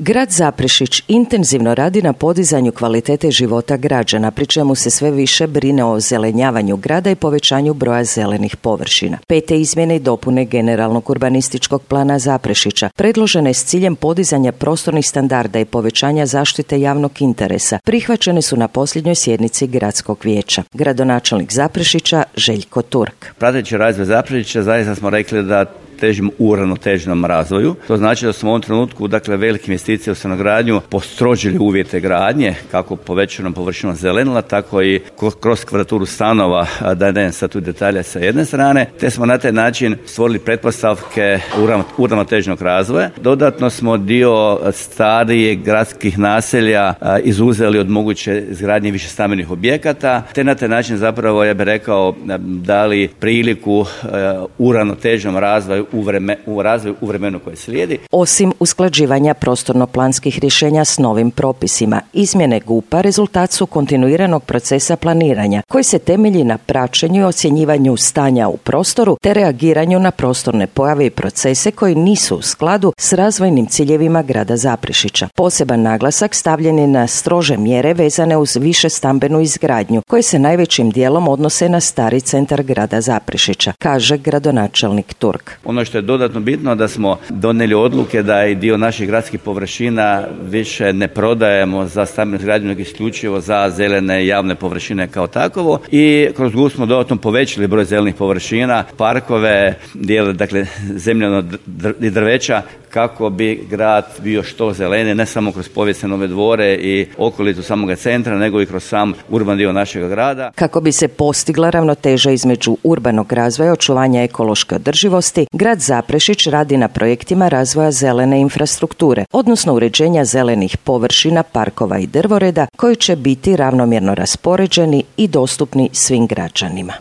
Grad Zaprešić intenzivno radi na podizanju kvalitete života građana, pri čemu se sve više brine o ozelenjavanju grada i povećanju broja zelenih površina. 5. izmjene i dopune generalnog urbanističkog plana Zaprešića predložene s ciljem podizanja prostornih standarda i povećanja zaštite javnog interesa prihvaćene su na posljednjoj sjednici gradskog vijeća. Gradonačelnik Zaprešića Željko Turk. Prateći razvoj Zaprešića zaista smo rekli da težimo uravnoteženom razvoju. To znači da smo u ovom trenutku, velike investicije u stanogradnju postrožili uvjete gradnje, kako povećanom površinom zelenila, tako i kroz kvadraturu stanova, da ne sad tu detalje sa jedne strane, te smo na taj način stvorili pretpostavke uravnoteženog razvoja. Dodatno smo dio starijih gradskih naselja izuzeli od moguće izgradnje više stambenih objekata, te na taj način zapravo, ja bih rekao, dali priliku uravnoteženom razvoju u vremenu koje slijedi. Osim usklađivanja prostorno-planskih rješenja s novim propisima, izmjene GUP-a rezultat su kontinuiranog procesa planiranja koji se temelji na praćenju i ocjenjivanju stanja u prostoru te reagiranju na prostorne pojave i procese koji nisu u skladu s razvojnim ciljevima grada Zaprešića. Poseban naglasak stavljen je na strože mjere vezane uz više stambenu izgradnju koje se najvećim dijelom odnose na stari centar grada Zaprešića, kaže gradonačelnik Turk. Ono što je dodatno bitno da smo donijeli odluke da i dio naših gradskih površina više ne prodajemo za stambenu izgradnju, nego isključivo za zelene javne površine kao takovo, i kroz GUP smo dodatno povećali broj zelenih površina, parkove, dijele zemljano i drveća, kako bi grad bio što zeleniji, ne samo kroz povijesne Nove Dvore i okolicu samoga centra, nego i kroz sam urban dio našeg grada. Kako bi se postigla ravnoteža između urbanog razvoja i očuvanja ekološke održivosti, grad Zaprešić radi na projektima razvoja zelene infrastrukture, odnosno uređenja zelenih površina, parkova i drvoreda koji će biti ravnomjerno raspoređeni i dostupni svim građanima.